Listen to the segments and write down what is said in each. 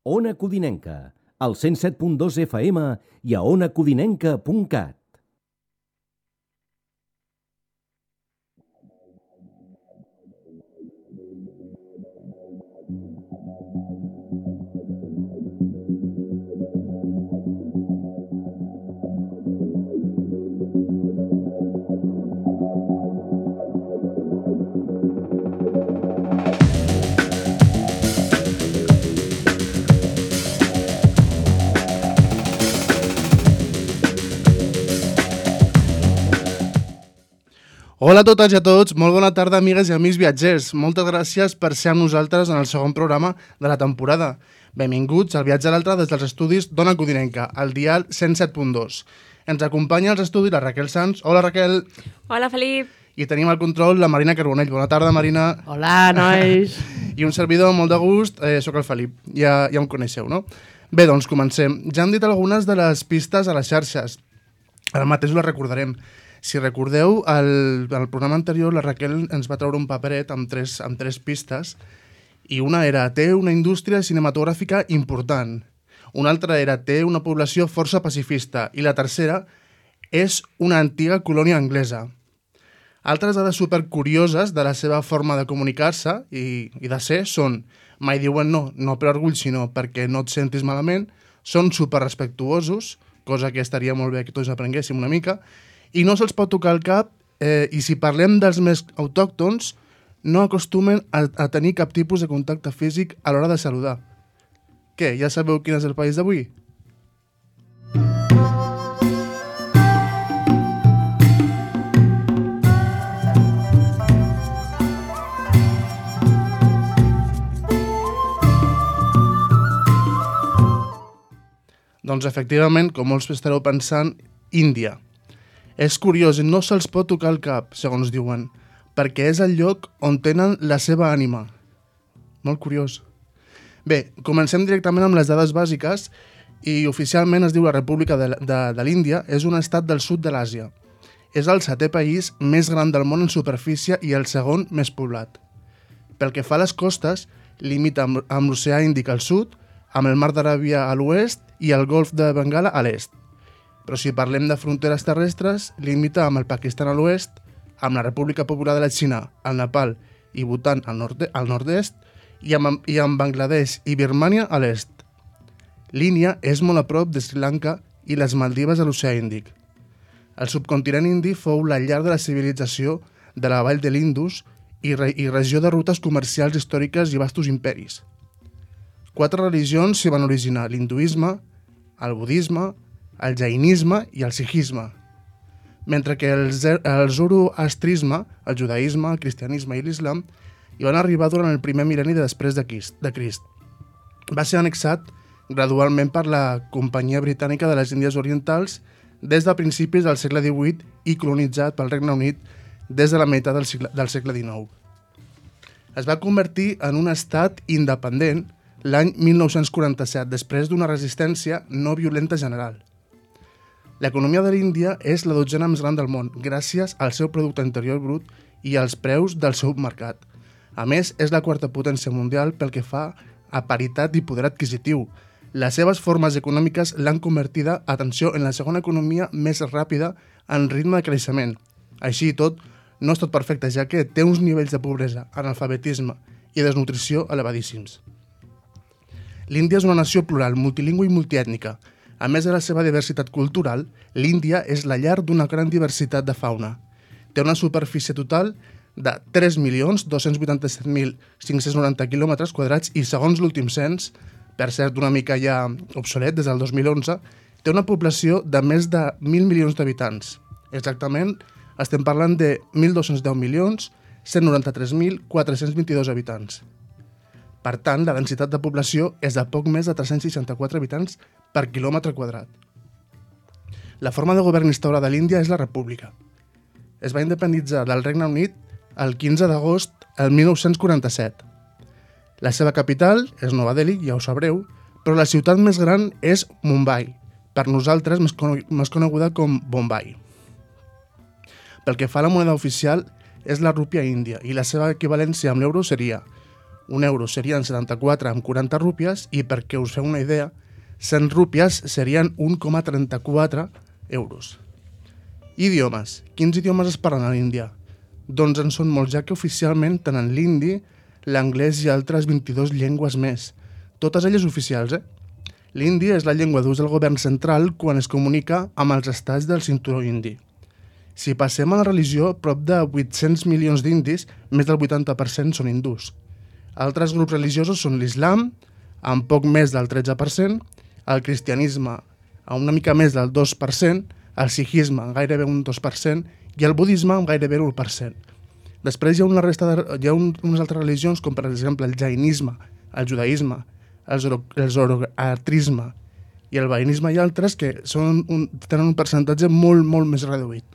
Ona Codinenca, al 107.2 FM i a onacodinenca.cat. Hola a totes i a tots, molt bona tarda amigues i amics viatgers. Moltes gràcies per ser amb nosaltres en el segon programa de la temporada. Benvinguts al viatge a l'altre des dels estudis d'Ona Codinenca, al dial 107.2. Ens acompanya als estudis la Raquel Sanz. Hola Raquel. Hola Felip. I tenim al control la Marina Carbonell. Bona tarda Marina. Hola nois. I un servidor molt de gust, sóc el Felip. Ja em coneixeu, no? Bé, doncs comencem. Ja hem dit algunes de les pistes a les xarxes. Ara mateix les recordarem. Si recordeu, al programa anterior la Raquel ens va treure un paperet amb tres pistes i una era té una indústria cinematogràfica important, una altra era té una població força pacifista i la tercera és una antiga colònia anglesa. Altres dades supercurioses de la seva forma de comunicar-se i de ser són mai diuen no per orgull sinó perquè no et sentis malament, són superrespectuosos, cosa que estaria molt bé que tots aprenguéssim una mica, i no se'ls pot tocar el cap i si parlem dels més autòctons no acostumen a tenir cap tipus de contacte físic a l'hora de saludar. Què, ja sabeu quin és el país d'avui? Doncs efectivament, com molts estareu pensant, Índia. És curiós, no se'ls pot tocar el cap, segons diuen, perquè és el lloc on tenen la seva ànima. Molt curiós. Bé, comencem directament amb les dades bàsiques i oficialment es diu la República de l'Índia, és un estat del sud de l'Àsia. És el 7è país més gran del món en superfície i el segon més poblat. Pel que fa a les costes, limita amb l'oceà Índic al sud, amb el mar d'Aràbia a l'oest i el golf de Bengala a l'est. Però si parlem de fronteres terrestres, limita amb el Pakistan a l'oest, amb la República Popular de la Xina, el Nepal i Bhutan al nord-est i amb Bangladesh i Birmània a l'est. L'Índia és molt a prop de Sri Lanka i les Maldives a l'oceà Índic. El subcontinent indi fou la llar de la civilització de la vall de l'Indus i regió de rutes comercials històriques i vastos imperis. 4 religions s'hi van originar: l'hinduisme, el budisme, el jainisme i el sikhisme, mentre que el zoroastrisme, el judaïsme, el cristianisme i l'islam hi van arribar durant el primer mil·lenni després de Crist. Va ser annexat gradualment per la Companyia Britànica de les Índies Orientals des de principis del segle XVIII i colonitzat pel Regne Unit des de la meitat del segle XIX. Es va convertir en un estat independent l'any 1947, després d'una resistència no violenta general. L'economia de l'Índia és la 12a més gran del món, gràcies al seu producte interior brut i als preus del seu mercat. A més, és la 4a potència mundial pel que fa a paritat i poder adquisitiu. Les seves formes econòmiques l'han convertida, atenció, en la segona economia més ràpida en ritme de creixement. Així i tot, no és tot perfecte, ja que té uns nivells de pobresa, analfabetisme i desnutrició elevadíssims. L'Índia és una nació plural, multilingüe i multiètnica. A més de la seva diversitat cultural, l'Índia és la llar d'una gran diversitat de fauna. Té una superfície total de 3.287.590 km² i, segons l'últim cens, per cert una mica ja obsolet des del 2011, té una població de més de 1.000 milions d'habitants. Exactament, estem parlant de 1.210.193.422 habitants. Per tant, la densitat de població és de poc més de 364 habitants per quilòmetre quadrat. La forma de govern instaurada a l'Índia és la república. Es va independitzar del Regne Unit el 15 d'agost del 1947. La seva capital és Nova Delhi, ja ho sabreu, però la ciutat més gran és Mumbai, per nosaltres més coneguda com Bombai. Pel que fa a la moneda oficial, és la rúpia índia i la seva equivalència amb l'euro seria un euro serien 74,40 rúpies i perquè us feu una idea, 100 rúpies serien 1,34 euros. Idiomes. Quins idiomes es parlen a l'Índia? Doncs en són molts, ja que oficialment tenen l'hindi, l'anglès i altres 22 llengües més. Totes elles oficials, L'hindi és la llengua d'ús del govern central quan es comunica amb els estats del cinturó indi. Si passem a la religió, prop de 800 milions d'indis, més del 80% són hindús. Altres grups religiosos són l'islam, amb poc més del 13%, el cristianisme, amb una mica més del 2%, el sikhisme, amb gairebé un 2%, i el budisme, amb gairebé l'1%. Després hi ha unes altres religions, com per exemple el jainisme, el judaïsme, el zoroastrisme i el vainisme i altres que tenen un percentatge molt, molt més reduït.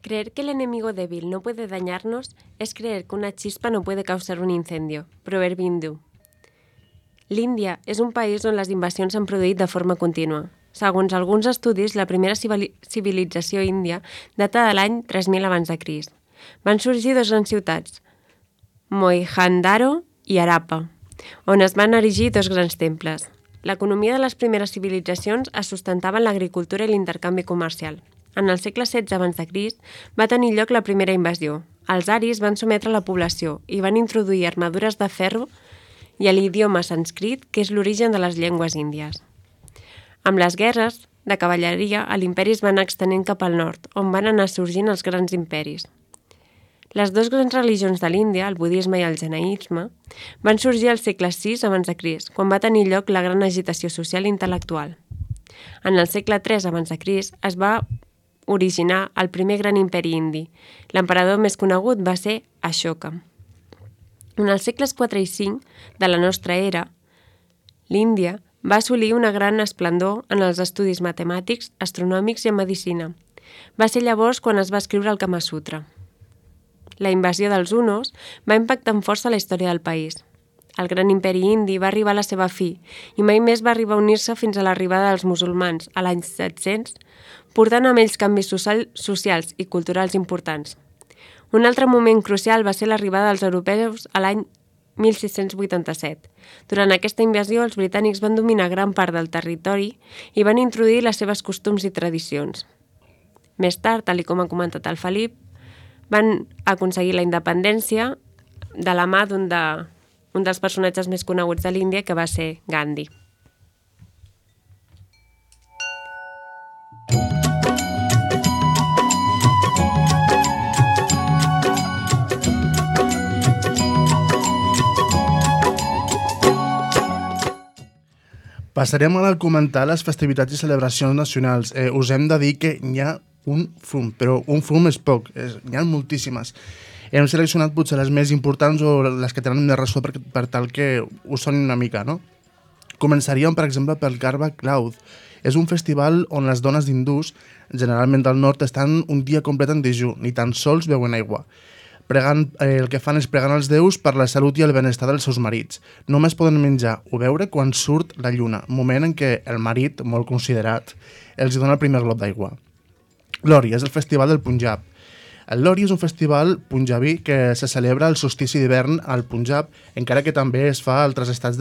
Creer que el enemigo débil no puede dañarnos es creer que una chispa no puede causar un incendio. Proverbi hindú. L'Índia és un país on les invasions s'han produït de forma contínua. Segons alguns estudis, la primera civilització índia data de l'any 3000 abans de Crist. Van sorgir dues grans ciutats, Mohenjo-daro i Harappa, on es van erigir dos grans temples. L'economia de les primeres civilitzacions es sustentava en l'agricultura i l'intercanvi comercial. En el segle XVI abans de Crist va tenir lloc la primera invasió. Els aris van sometre la població i van introduir armadures de ferro i l'idioma sànscrit, que és l'origen de les llengües índies. Amb les guerres de cavalleria, l'imperi es va anar extenent cap al nord, on van anar sorgint els grans imperis. Les dues grans religions de l'Índia, el budisme i el jainisme, van sorgir al segle VI abans de Crist, quan va tenir lloc la gran agitació social i intel·lectual. En el segle III abans de Crist es va originar el primer gran imperi indi. L'emperador més conegut va ser Ashoka. En els segles IV i V de la nostra era, l'Índia va assolir una gran esplendor en els estudis matemàtics, astronòmics i en medicina. Va ser llavors quan es va escriure el Kama Sutra. La invasió dels hunos va impactar amb força la història del país. El gran imperi indi va arribar a la seva fi i mai més va arribar a unir-se fins a l'arribada dels musulmans a l'any 700, portant amb ells canvis socials i culturals importants. Un altre moment crucial va ser l'arribada dels europeus a l'any 1687. Durant aquesta invasió, els britànics van dominar gran part del territori i van introduir les seves costums i tradicions. Més tard, tal com ha comentat el Felip, van aconseguir la independència de la mà d'un dels personatges més coneguts de l'Índia, que va ser Gandhi. Passarem ara a comentar les festivitats i celebracions nacionals. Us hem de dir que n'hi ha un fum, però un fum és poc, n'hi ha moltíssimes. Hem seleccionat potser les més importants o les que tenen més ressò per tal que us sonin una mica, no? Començaríem, per exemple, pel Garba Cloud. És un festival on les dones hindús, generalment del nord, estan un dia complet en dejú, ni tan sols beuen aigua. El que fan és pregant als déus per la salut i el benestar dels seus marits. Només poden menjar o beure quan surt la lluna, moment en què el marit, molt considerat, els dona el primer glob d'aigua. Lori és el festival del Punjab. El Lori és un festival punjabí que se celebra al solstici d'hivern al Punjab, encara que també es fa a altres estats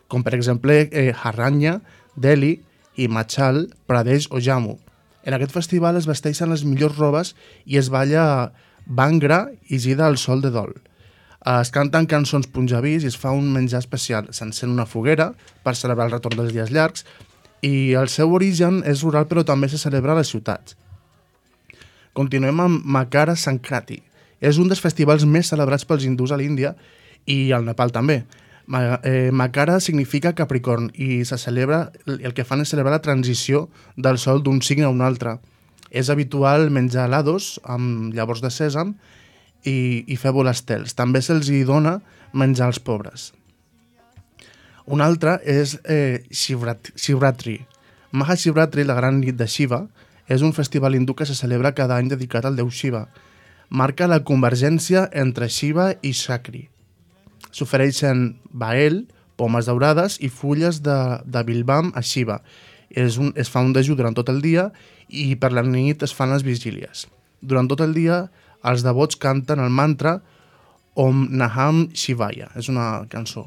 com per exemple Haranya, Delhi, Himachal Pradesh o Jammu. En aquest festival es vesteixen les millors robes i es balla Bhangra i gira al sol de dol. Es canten cançons punjabis i es fa un menjar especial. S'encén una foguera per celebrar el retorn dels dies llargs i el seu origen és rural però també se celebra a les ciutats. Continuem amb Makara Sankranti. És un dels festivals més celebrats pels hindús a l'Índia i al Nepal també. Makara significa Capricorn i el que fan és celebrar la transició del sol d'un signe a un altre. És habitual menjar helados amb llavors de sèsam i fer volar estels. També se'ls hi dona menjar als pobres. Un altre és Shivratri. Mahashivratri, la gran nit de Shiva, és un festival hindú que se celebra cada any dedicat al déu Shiva. Marca la convergència entre Shiva i Shakri. S'ofereixen bael, pomes daurades i fulles de bilbam a Shiva. Es fa un dejú durant tot el dia i per la nit es fan les vigílies. Durant tot el dia els devots canten el mantra Om Naham Shivaya. És una cançó.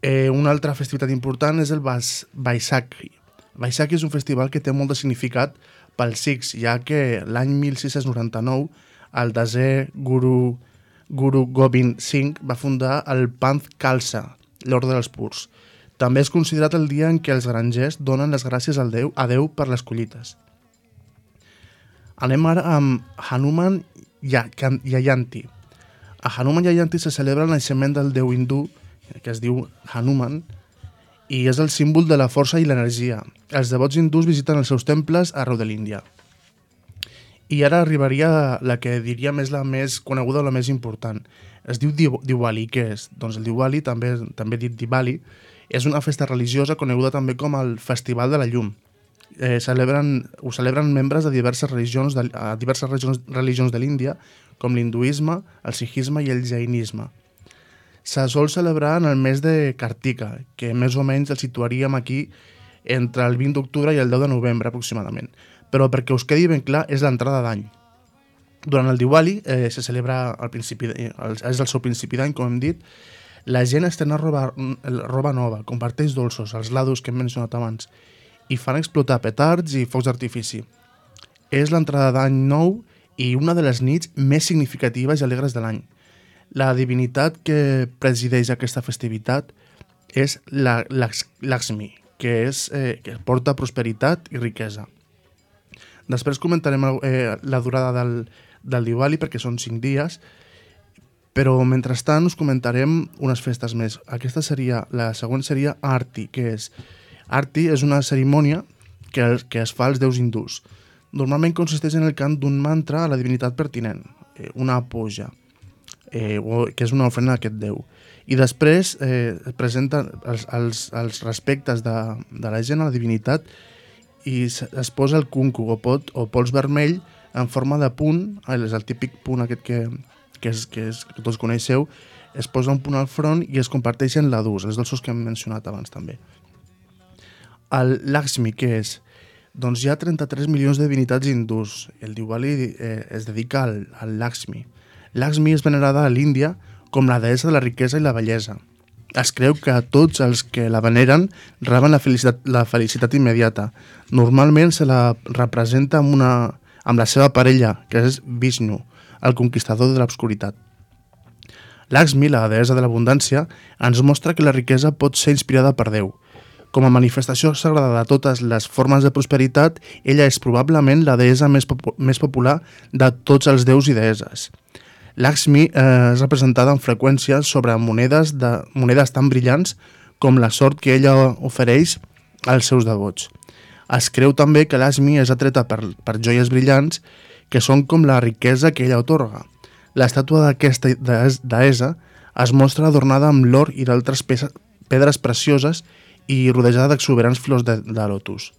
Una altra festivitat important és el Vaisakhi. Vaisakhi és un festival que té molt de significat pels Sikhs, ja que l'any 1699 el desè Guru Gobind Singh va fundar el Panth Khalsa, l'ordre dels purs. També és considerat el dia en què els grangers donen les gràcies a Déu per les collites. Anem ara amb Hanuman Jayanti. A Hanuman Jayanti se celebra el naixement del déu hindú, que es diu Hanuman, i és el símbol de la força i l'energia. Els devots hindús visiten els seus temples arreu de l'Índia. I ara arribaria la que diríem és la més coneguda o la més important. Es diu Diwali. Què és? Doncs el Diwali, també dit Diwali, és una festa religiosa coneguda també com el Festival de la Llum. Ho celebren membres de diverses religions de l'Índia, com l'hinduisme, el sikhisme i el jainisme. Se sol celebrar en el mes de Kartika, que més o menys el situaríem aquí entre el 20 d'octubre i el 10 de novembre aproximadament. Però perquè us quedi ben clar, és l'entrada d'any. Durant el Diwali se celebra és el seu principi d'any, com hem dit. La gent estrena roba nova, comparteix dolços, els lados que hem mencionat abans, i fan explotar petards i focs d'artifici. És l'entrada d'any nou i una de les nits més significatives i alegres de l'any. La divinitat que presideix aquesta festivitat és Lakshmi, que porta prosperitat i riquesa. Després comentarem la durada del Diwali, perquè són 5 dies, però mentrestant us comentarem unes festes més. La següent seria Arti, que és... Arti és una cerimònia que es fa als déus hindús. Normalment consisteix en el cant d'un mantra a la divinitat pertinent, una puja, que és una ofrena a aquest déu. I després presenta els respectes de la gent a la divinitat i es posa el kunku o pols vermell en forma de punt, és el típic punt aquest que tots coneixeu, es posa un punt al front i es comparteixen ladus, els dolços que hem mencionat abans també. El Lakshmi, què és? Doncs hi ha 33 milions de divinitats hindús. El Diwali es dedica al Lakshmi. Lakshmi és venerada a l'Índia com la deessa de la riquesa i la bellesa. Es creu que tots els que la veneren reben la felicitat immediata. Normalment se la representa amb la seva parella, que és Vishnu, el conquistador de l'obscuritat. Lakshmi, la deessa de l'abundància, ens mostra que la riquesa pot ser inspirada per Déu. Com a manifestació sagrada de totes les formes de prosperitat, ella és probablement la deessa més popular de tots els déus i deesses. Lakshmi és representada amb freqüència sobre monedes tan brillants com la sort que ella ofereix als seus devots. Es creu també que Lakshmi és atreta per joies brillants que són com la riquesa que ella atorga. L'estàtua d'aquesta deessa es mostra adornada amb l'or i d'altres pedres precioses i rodejada d'exuberants flors de lotus.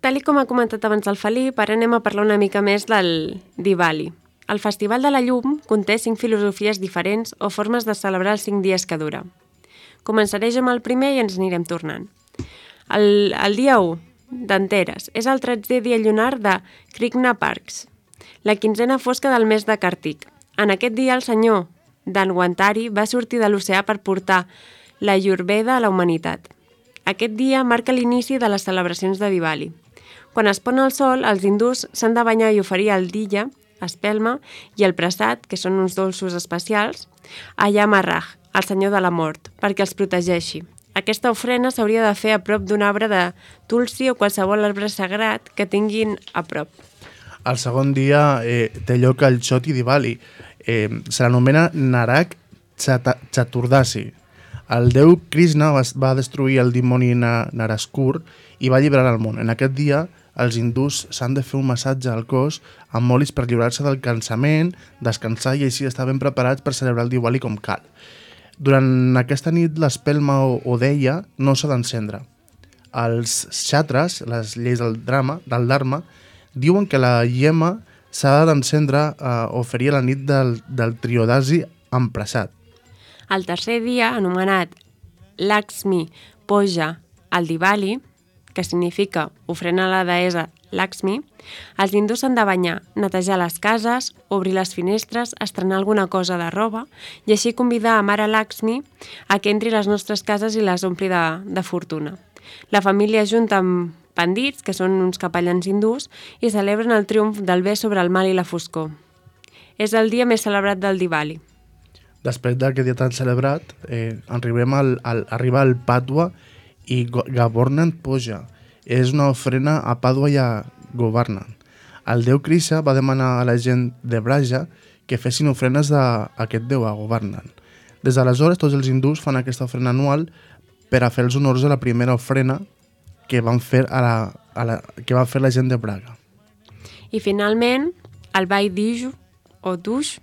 Tal com ha comentat abans el Felip, ara anem a parlar una mica més del Diwali. El Festival de la Llum conté 5 filosofies diferents o formes de celebrar els 5 dies que dura. Començaré amb el primer i ens anirem tornant. El dia 1, d'Anteres. És el 13è dia lunar de Krishna Parks, la 15ª fosca del mes de Càrtic. En aquest dia el senyor Dhanwantari va sortir de l'oceà per portar la Ayurveda a la humanitat. Aquest dia marca l'inici de les celebracions de Diwali. Quan es pon el sol, els hindús s'han de banyar i oferir el dilla, espelma, i el prasad, que són uns dolços especials, a Yamaraj, el senyor de la mort, perquè els protegeixi. Aquesta ofrena s'hauria de fer a prop d'un arbre de tulsi o qualsevol arbre sagrat que tinguin a prop. El segon dia té lloc el Choti Diwali. Se l'anomena Narak Chaturdasi. El déu Krishna va destruir el dimoni Naraskur i va alliberar el món. En aquest dia, els hindús s'han de fer un massatge al cos amb olis per lliurar-se del cansament, descansar i així estar ben preparats per celebrar el Diwali com cal. Durant aquesta nit, l'espelma o deia no s'ha d'encendre. Els xatres, les lleis del Dharma, diuen que la llama s'ha d'encendre o ferir a la nit del Triodasi amb prasad. El tercer dia, anomenat Lakshmi Puja al Diwali, que significa ofrena a la deessa Lakshmi, els hindús s'han de banyar, netejar les cases, obrir les finestres, estrenar alguna cosa de roba i així convidar a Mare Lakshmi a que entri a les nostres cases i les ompli de fortuna. La família junta amb pandits, que són uns capellans hindús, i celebren el triomf del bé sobre el mal i la foscor. És el dia més celebrat del Diwali. Després d'aquest dia tan celebrat, arriba el Padwa i Govardhan Puja. És una ofrena a Padwa i a Govardhan. El déu Krishna va demanar a la gent de Braja que fessin ofrenes a aquest déu, a Govardhan. Des d'aleshores, tots els hindús fan aquesta ofrena anual per a fer els honors a la primera ofrena que van fer la gent de Braga. I finalment, el Bhai Diju o Dush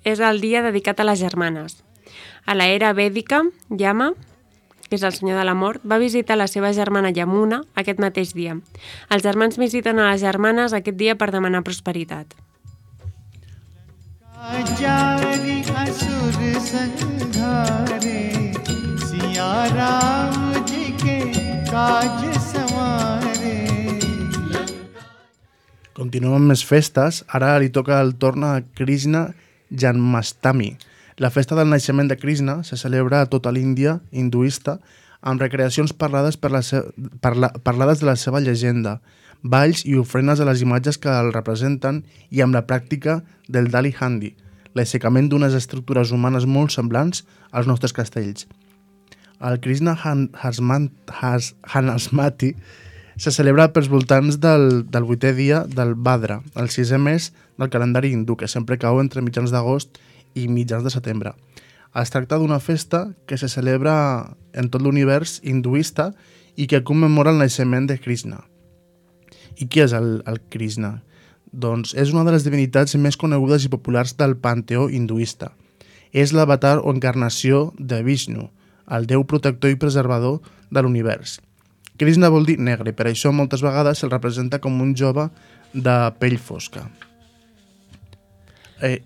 és el dia dedicat a les germanes. A l'era vèdica, Yama, que és el senyor de la mort, va visitar la seva germana Yamuna aquest mateix dia. Els germans visiten a les germanes aquest dia per demanar prosperitat. Continuem amb més festes. Ara li toca el torn a Krishna Janmashtami. La festa del naixement de Krishna se celebra a tota l'Índia hinduista amb recreacions parlades de la seva llegenda, balls i ofrenes a les imatges que el representen i amb la pràctica del Dali Handi, l'aixecament d'unes estructures humanes molt semblants als nostres castells. El Krishna Janmashtami se celebra pels voltants del 8è dia del Bhadra, el 6è mes del calendari hindú, que sempre cau entre mitjans d'agost i mitjans de setembre. Es tracta d'una festa que se celebra en tot l'univers hinduista i que commemora el naixement de Krishna. I qui és el Krishna? Doncs és una de les divinitats més conegudes i populars del panteó hinduista. És l'avatar o encarnació de Vishnu, el déu protector i preservador de l'univers. Krishna vol dir negre, per això moltes vegades se'l representa com un jove de pell fosca. El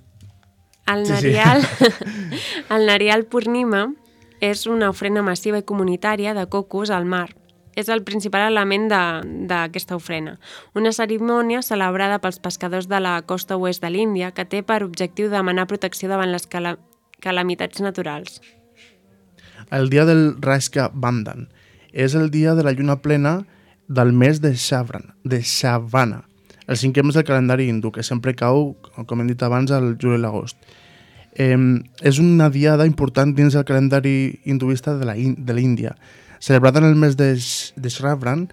Nariyal Purnima és una ofrena massiva i comunitària de cocos al mar. És el principal element d'aquesta ofrena. Una cerimònia celebrada pels pescadors de la costa oest de l'Índia que té per objectiu demanar protecció davant les calamitats naturals. El dia del Rashka Bandhan és el dia de la lluna plena del mes de Shavana, el 5è mes del calendari hindú, que sempre cau, com hem dit abans, al juliol i l'agost. És una diada important dins el calendari hinduista de l'Índia. Celebrada en el mes de Shravan,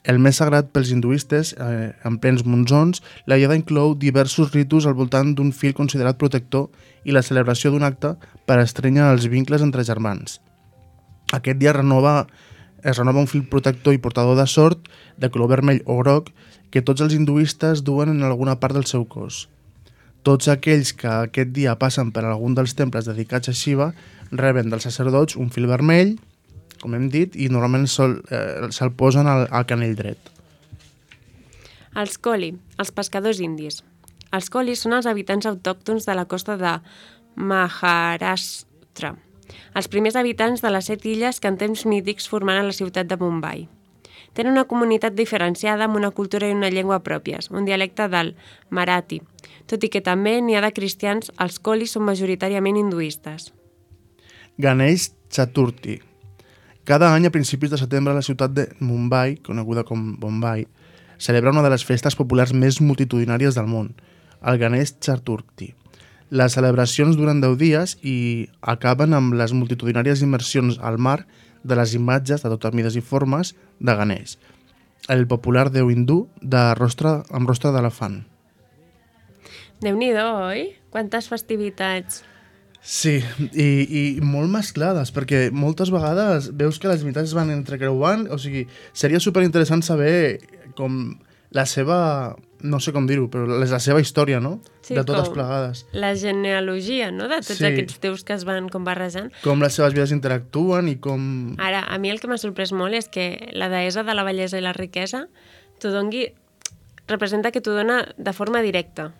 el mes sagrat pels hinduistes, en plens monsons, la diada inclou diversos ritus al voltant d'un fil considerat protector i la celebració d'un acte per estrènyer els vincles entre germans. Aquest dia es renova un fil protector i portador de sort de color vermell o groc que tots els hinduistes duen en alguna part del seu cos. Tots aquells que aquest dia passen per algun dels temples dedicats a Shiva reben dels sacerdots un fil vermell, com hem dit, i normalment se'l posen al canell dret. Els Koli, els pescadors indis. Els Kolis són els habitants autòctons de la costa de Maharashtra, els primers habitants de les 7 illes que en temps mítics formaran la ciutat de Mumbai. Tenen una comunitat diferenciada amb una cultura i una llengua pròpies, un dialecte del Marathi, tot i que també n'hi ha de cristians, els kolis són majoritàriament hinduistes. Ganesh Chaturthi. Cada any a principis de setembre la ciutat de Mumbai, coneguda com Bombay, celebra una de les festes populars més multitudinàries del món, el Ganesh Chaturthi. Les celebracions duren 10 dies i acaben amb les multitudinàries immersions al mar de les imatges de totes mides i formes de Ganesh, el popular déu hindú amb rostre d'elefant. Déu-n'hi-do, oi? Quantes festivitats! Sí, i molt mesclades, perquè moltes vegades veus que les imitats es van entrecreuant, o sigui, seria superinteressant saber com la seva, no sé com dir-ho, però la seva història, no? Sí, de totes com plegades. La genealogia, no?, de tots aquests déus que es van com barrejant. Com les seves vides interactuen i com... Ara, a mi el que m'ha sorprès molt és que la deessa de la bellesa i la riquesa representa que t'ho dona de forma directa.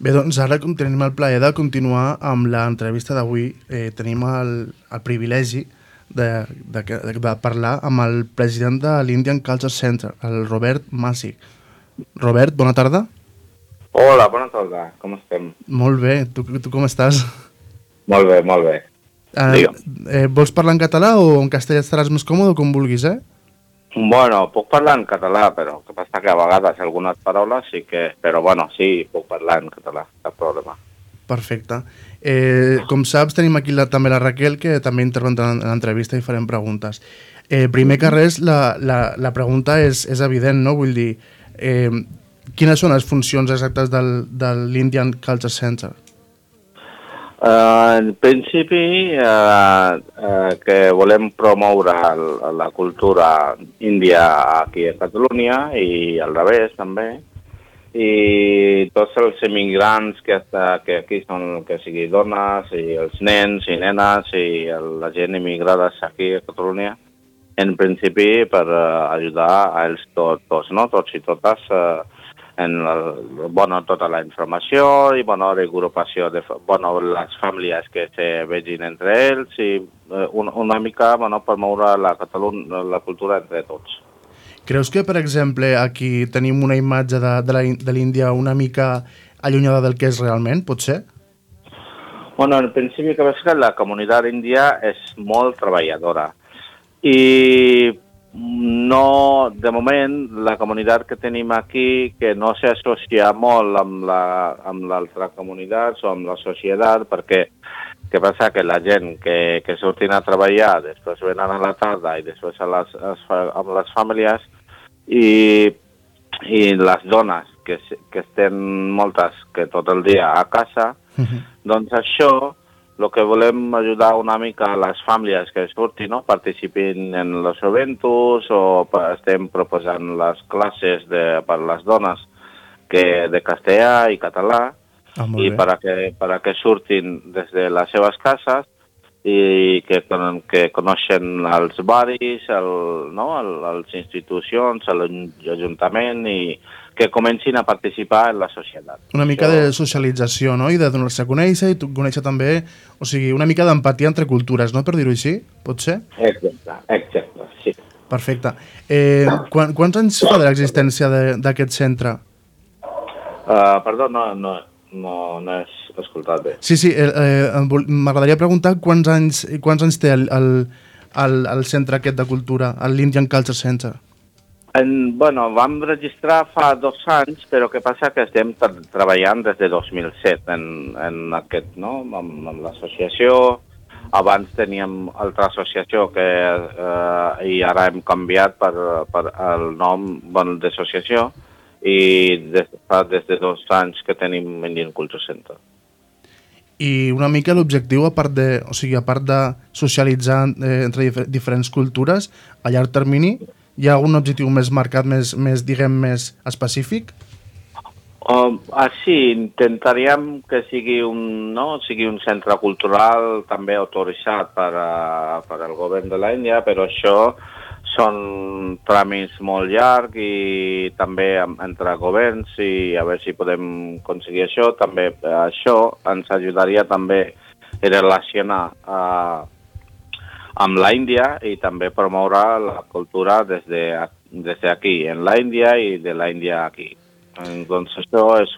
Bé, doncs ara tenim el plaer de continuar amb l'entrevista d'avui. Tenim el privilegi de parlar amb el president de l'Indian Culture Center, el Robert Massey. Robert, bona tarda. Hola, bona tarda. Com estem? Molt bé. Tu com estàs? Molt bé, molt bé. Vols parlar en català o en castellà estaràs més còmode, com vulguis, Bueno, puc parlar en català, però el que passa que a vegades algunes paraules sí que... Però bueno, sí, puc parlar en català, cap problema. Perfecte. Com saps, tenim aquí també la Raquel, que també intervendrà en l'entrevista i farem preguntes. Primer que res, la pregunta és evident, no? Vull dir, quines són les funcions exactes de l'Indian Culture Center? En principi, que volem promoure la cultura índia aquí a Catalunya i al revés també, i tots els immigrants que aquí són, que sigui dones i els nens i nenes i la gent immigrada aquí a Catalunya, en principi per ajudar a ells tots, no? Tots i totes en tota la informació i regrupació de les famílies que se vegin entre ells i una mica promoure la cultura entre tots. Creus que, per exemple, aquí tenim una imatge de l'Índia una mica allunyada del que és realment, pot ser? Bueno, en principi que veig que la comunitat índia és molt treballadora i no, de moment, la comunitat que tenim aquí, que no s'associa molt amb l'altra comunitat o amb la societat, perquè què passa? Que la gent que surtin a treballar, després venen a la tarda i després amb les famílies, i les dones, que estem moltes, que tot el dia a casa, doncs això, el que volem ajudar una mica a les famílies que surtin, no? Participin en els eventos o estem proposant les classes per a les dones de castellà i català i perquè surtin des de les seves cases i que coneixen els barris, les institucions, l'Ajuntament i que comencin a participar en la societat. Una mica de socialització, no? I de donar-se a conèixer i conèixer també, o sigui, una mica d'empatia entre cultures, no? Per dir-ho així, pot ser? Exacte, sí. Perfecte. Quants anys fa de l'existència d'aquest centre? Perdó, no he escoltat bé. Sí, m'agradaria preguntar quants anys té el centre aquest de cultura, l'Indian Culture Center? Vam registrar fa 2 anys, però què passa que estem treballant des de 2007 en aquest, no? Amb l'associació. Abans teníem altra associació i ara hem canviat per el nom d'associació i des de 2 anys que tenim Indian Culture Center. I una mica l'objectiu, a part de socialitzar entre diferents cultures, a llarg termini, hi ha un objectiu més marcat, més específic? Sí, intentaríem que sigui un centre cultural també autoritzat per al govern de l'Índia, però això són tràmits molt llargs i també entre governs i a veure si podem aconseguir això. També això ens ajudaria també a relacionar amb l'Índia i també promoure la cultura des d'aquí, en l'Índia i de l'Índia aquí. Doncs això és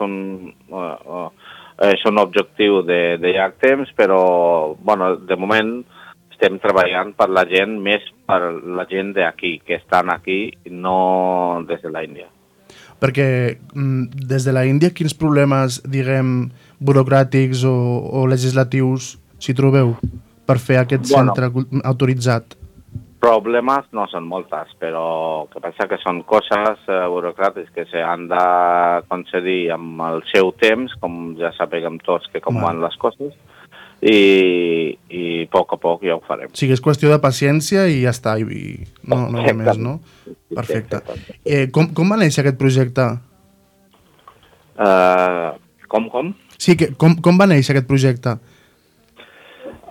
un objectiu de llarg temps, però bueno, de moment estem treballant per la gent, més per la gent d'aquí, que estan aquí, no des de l'Índia. Perquè des de l'Índia quins problemes, diguem, burocràtics o legislatius s'hi trobeu per fer aquest centre autoritzat? Problemes no són moltes, però el que passa que són coses burocràtiques que s'han de concedir amb el seu temps, com ja sapiguem tots que com van les coses, i a poc ja ho farem. O sigui, és qüestió de paciència i ja està, i no hi ha més, no? Perfecte. Com va néixer aquest projecte? Com? Sí, com va néixer aquest projecte?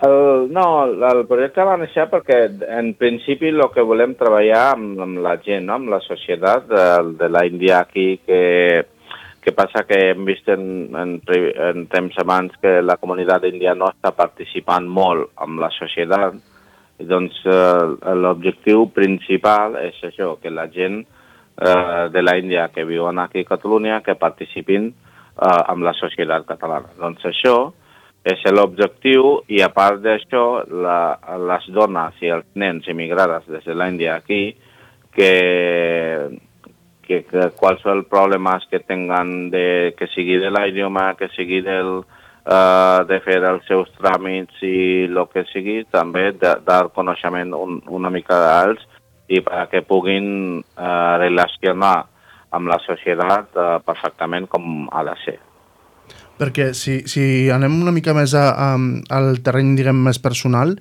El projecte va néixer perquè en principi el que volem treballar amb la gent, no? Amb la societat de l'Índia aquí, que passa que hem vist en temps abans que la comunitat índia no està participant molt en la societat. I doncs l'objectiu principal és això, que la gent de l'Índia que viuen aquí a Catalunya que participin en la societat catalana. Doncs això és l'objectiu i a part d'això les dones i els nens immigrades des de l'Índia aquí que qualsevol problemes que tinguin que sigui de l'idioma, que sigui de fer els seus tràmits i el que sigui, també dar coneixement una mica d'ells i perquè puguin relacionar amb la societat perfectament com ha de ser. Perquè si anem una mica més al terreny, diguem, més personal,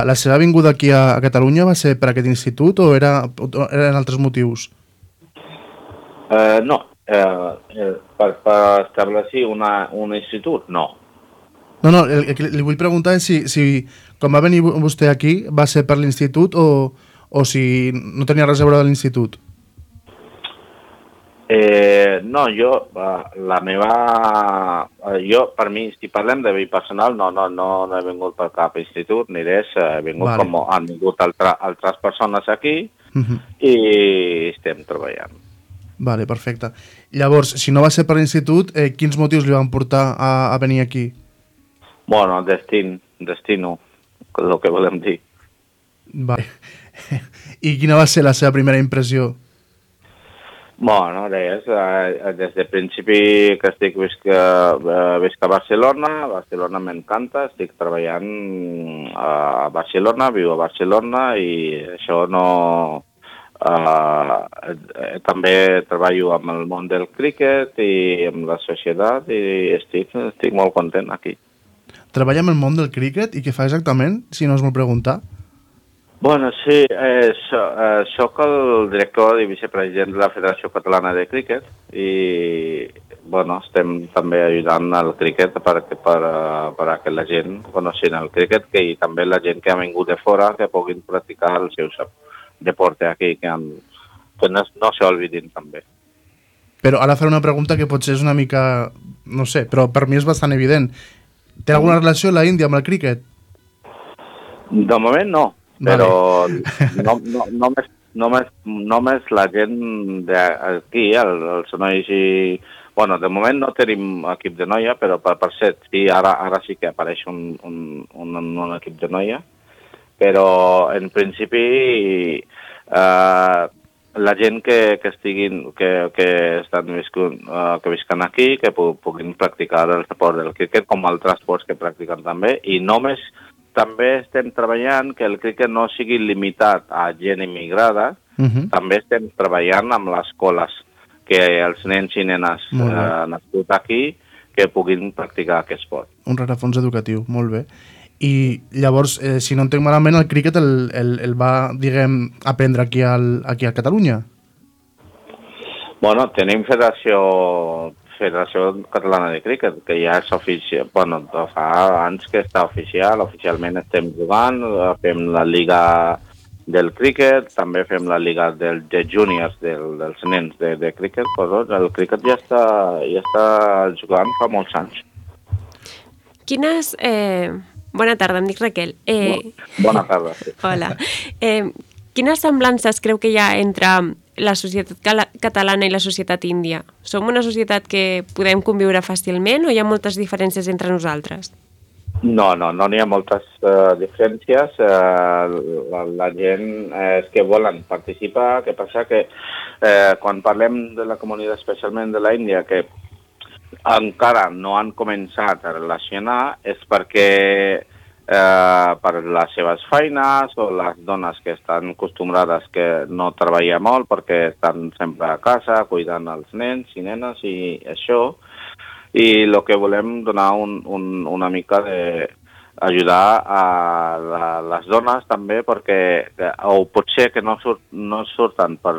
la seva vinguda aquí a Catalunya va ser per aquest institut o eren altres motius? No, per establir un institut, no. No, el que li vull preguntar és si quan va venir vostè aquí va ser per l'institut o si no tenia res a veure de l'institut. No, per mi, si parlem de vida personal, no he vingut per cap institut ni res, he vingut com han vingut altres persones aquí i estem treballant. Vale, perfecte. Llavors, si no va ser per l'institut, quins motius li van portar a venir aquí? Bueno, destino, el que volem dir. Vale. I quina va ser la seva primera impressió? Bueno, res, des del principi que visc a Barcelona m'encanta, estic treballant a Barcelona, viu a Barcelona i això no... també treballo amb el món del críquet i amb la societat i estic molt content aquí. Treballa amb el món del críquet i què fa exactament, si no us vol preguntar? Bueno, sí, soc el director i vicepresident de la Federació Catalana de Críquet i bueno, estem també ajudant al críquet per que la gent coneixin el críquet i també la gent que ha vingut de fora que puguin practicar el seu deport aquí, que no s'olvidin també. Però ara faré una pregunta que potser és una mica, no sé, però per mi és bastant evident. Té alguna relació la Índia amb el críquet? De moment no. Però només la gent d'aquí, els nois i... Bueno, de moment no tenim equip de noia, però per cert, sí, ara sí que apareix un equip de noia, però en principi la gent que visquen aquí, que puguin practicar el esport del críquet com altres esports que practiquen també, i només també estem treballant que el críquet no sigui limitat a gent immigrada, també estem treballant amb les escoles, que els nens i nenes nascuts aquí que puguin practicar aquest esport. Un rerefons educatiu, molt bé. I llavors, si no entenc malament, el críquet el va, diguem, aprendre aquí a Catalunya? Bueno, tenim federació Federació Catalana de Críquet, que ja és oficial, bueno, fa anys que està oficialment estem jugant, fem la Lliga del críquet, també fem la Lliga de júniors dels nens de críquet, però el críquet ja està jugant fa molts anys. Quines... Bona tarda, em dic Raquel. Bona tarda. Sí. Hola. Quines semblances creu que hi ha entre la societat catalana i la societat índia? Som una societat que podem conviure fàcilment o hi ha moltes diferències entre nosaltres? No n'hi ha moltes diferències. La gent és que volen participar. Què passa que quan parlem de la comunitat, especialment de la Índia, que encara no han començat a relacionar, és perquè per les seves feines o les dones que estan acostumbrades que no treballen molt perquè estan sempre a casa cuidant els nens i nenes i això, i el que volem donar una mica d'ajudar a les dones també perquè o potser que no surten per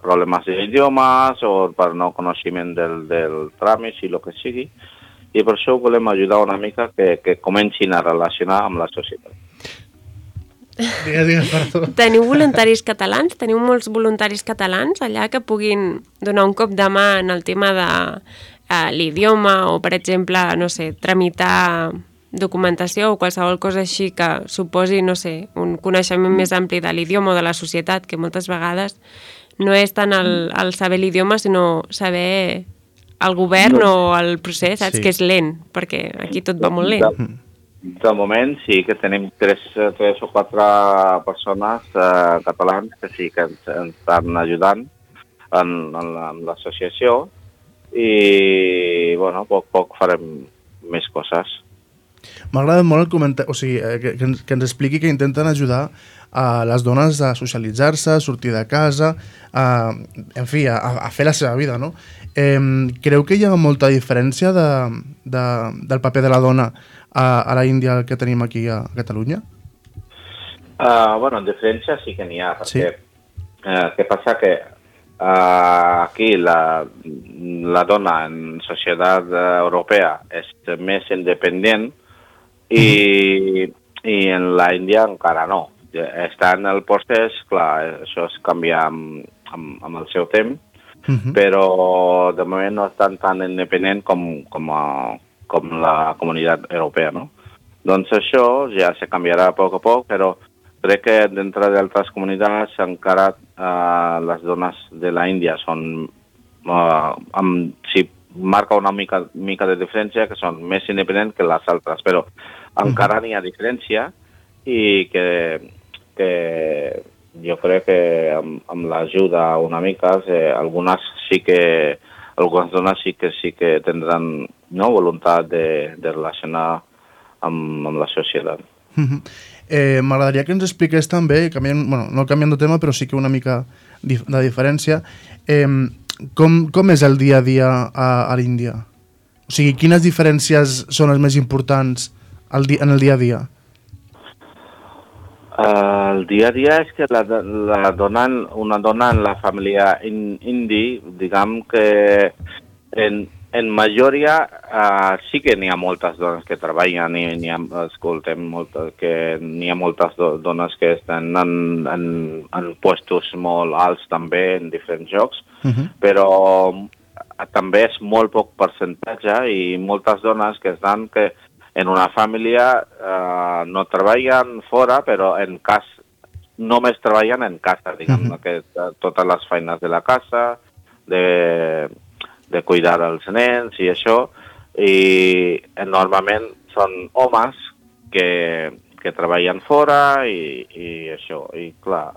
problemes d'idiomes o per no coneixement del tràmit i el que sigui, i per això volem ajudar una mica que comencin a relacionar amb la societat. Digues, perdó. Teniu voluntaris catalans? Teniu molts voluntaris catalans allà que puguin donar un cop de mà en el tema de l'idioma o, per exemple, no sé, tramitar documentació o qualsevol cosa així que suposi, no sé, un coneixement més ampli de l'idioma o de la societat, que moltes vegades no és tant el saber l'idioma, sinó saber el govern o el procés, saps? Sí. Que és lent, perquè aquí tot va molt lent. De moment sí que tenim 3 o 4 persones catalans que sí que ens estan ajudant en l'associació i, bueno, a poc farem més coses. M'ha agradat molt el comentari, o sigui, que ens expliqui que intenten ajudar a les dones a socialitzar-se, a sortir de casa, en fi, a fer la seva vida, no? Creu que hi ha molta diferència del paper de la dona a la Índia que tenim aquí a Catalunya? Bueno, diferència sí que n'hi ha, perquè què passa que aquí la dona en societat europea és més independent i en la Índia encara no. Està en el procés, clar, això es canvia amb el seu temps, però de moment no estan tan independent com la comunitat europea, no? Doncs això ja se canviarà a poc, però crec que dintre d'altres comunitats encara les dones de la Índia són, si marca una mica de diferència, que són més independents que les altres, però encara n'hi ha diferència i que jo crec que amb l'ajuda una mica, algunes dones sí que tindran voluntat de relacionar amb la societat. M'agradaria que ens expliqués també, no canviant de tema, però sí que una mica de diferència, com és el dia a dia a l'Índia? O sigui, quines diferències són les més importants en el dia a dia? El dia a dia és que una dona en la família indi, diguem que en majoria sí que n'hi ha moltes dones que treballen i n'hi ha moltes dones que estan en puestos molt alts també en diferents llocs, però també és molt poc percentatge i moltes dones que estan que en una família no treballen fora, però en casa només treballen en casa, diguem, que totes les feines de la casa, de cuidar els nens i això, i normalment són homes que treballen fora i això, i clar,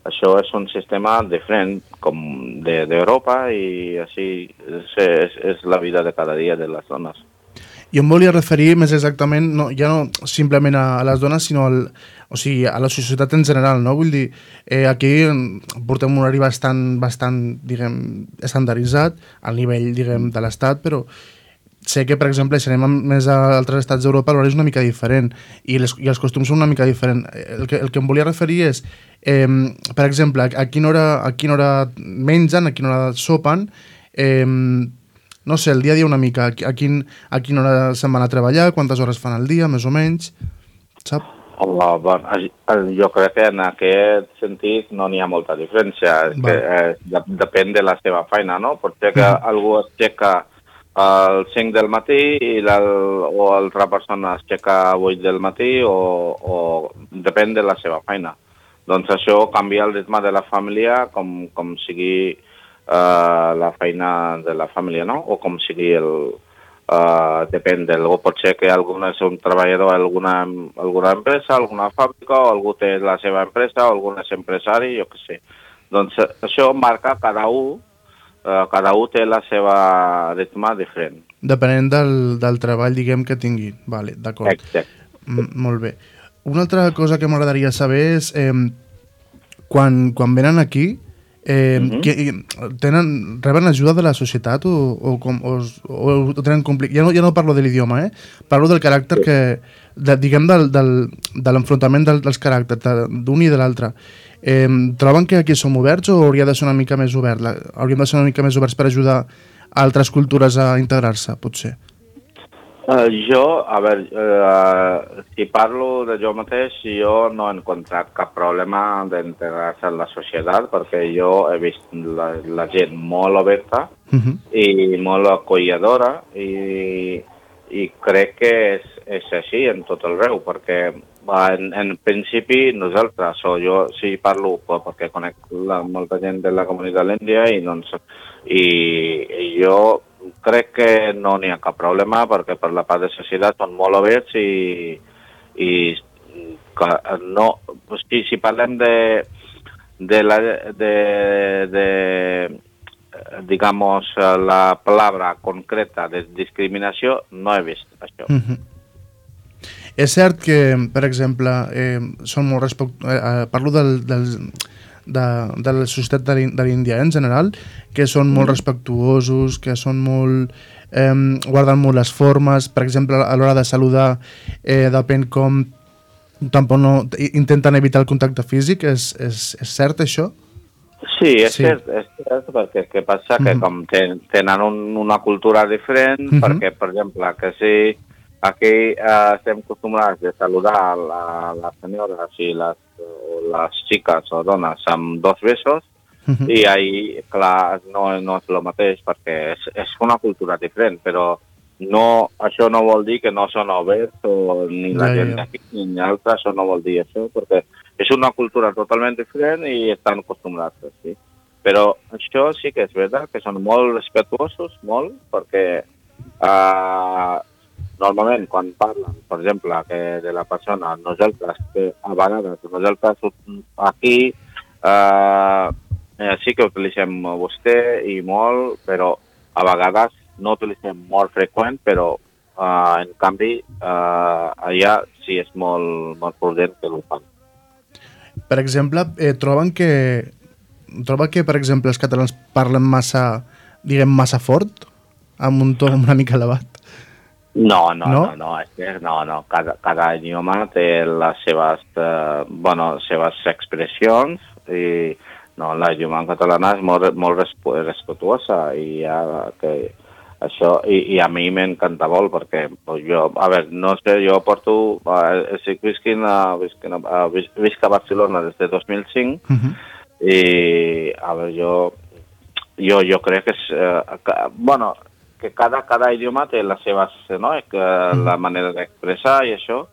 això és un sistema diferent com d'Europa i així és la vida de cada dia de les dones. Jo em volia referir més exactament, ja no simplement a les dones, sinó a la societat en general, no? Vull dir, aquí portem un horari bastant, diguem, estandarditzat al nivell, diguem, de l'Estat, però sé que, per exemple, si anem més a altres estats d'Europa, l'horari és una mica diferent i els costums són una mica diferents. El que em volia referir és, per exemple, a quina hora mengen, a quina hora sopen, no sé, el dia a dia una mica, a quina hora se'n van a treballar, quantes hores fan al dia, més o menys, sap? Jo crec que en aquest sentit no n'hi ha molta diferència. Depèn de la seva feina, no? Potser que algú es aixeca al 5 del matí o altra persona es aixeca a 8 del matí o depèn de la seva feina. Doncs això canvia el ritme de la família com sigui la feina de la família, no? O com sigui depèn o pot ser que algú és un treballador a alguna empresa, alguna fàbrica, o algú té la seva empresa, o algú és empresari, jo què sé. Doncs això marca cada un té la seva ritme diferent. Depenent del treball, diguem, que tingui. Vale, d'acord. Exacte. Molt bé. Una altra cosa que m'agradaria saber és quan venen aquí, reben ajuda de la societat o tenen complicat? Ja no parlo de l'idioma, parlo del caràcter diguem, de l'enfrontament dels caràcters d'un i de l'altre. Troben que aquí som oberts o hauríem de ser una mica més oberts per ajudar altres cultures a integrar-se, potser? Si parlo de jo mateix, jo no he encontrat cap problema d'integrar-se en la societat, perquè jo he vist la gent molt oberta i molt acollidora i crec que és així en tot el arreu, perquè en principi nosaltres, o jo sí parlo perquè conec molta gent de la comunitat l'Índia i jo crec que no n'hi ha cap problema perquè per la part de societat són molt oberts i no, si parlem de digamos la palabra concreta de discriminació, no he vist això. És cert que, per exemple, són molt parlo de la societat de l'Índia en general, que són molt respectuosos, que són molt guarden molt les formes, per exemple a l'hora de saludar depèn com tampoc no intenten evitar el contacte físic. És cert això? Sí, és cert, perquè què passa? Que com tenen una cultura diferent, perquè per exemple que si aquí estem acostumats a saludar les senyores i les xiques o dones amb 2 besos i ahí, clar, no és el mateix perquè és una cultura diferent, però això no vol dir que no són oberts o ni la gent d'aquí ni altra, això no vol dir això, perquè és una cultura totalment diferent i estan acostumbrats així. Però això sí que és veritat, que són molt respectuosos, molt, perquè normalment quan parlen, per exemple, que de la persona, nosaltres, que a vegades nosaltres aquí sí que utilitzem vostè i molt, però a vegades no utilitzem molt freqüent, però en canvi allà sí és molt prudent que ho fan. Per exemple, troba que, per exemple, els catalans parlen massa fort, amb un to una mica elevat? No. Cada idioma té les seves expressions i l'idioma en català és molt respetuosa i això a mi m'encanta molt perquè jo, no sé, jo porto visc a Barcelona des de 2005 i jo crec que és que cada idioma té les seves, la manera d'expressar i això,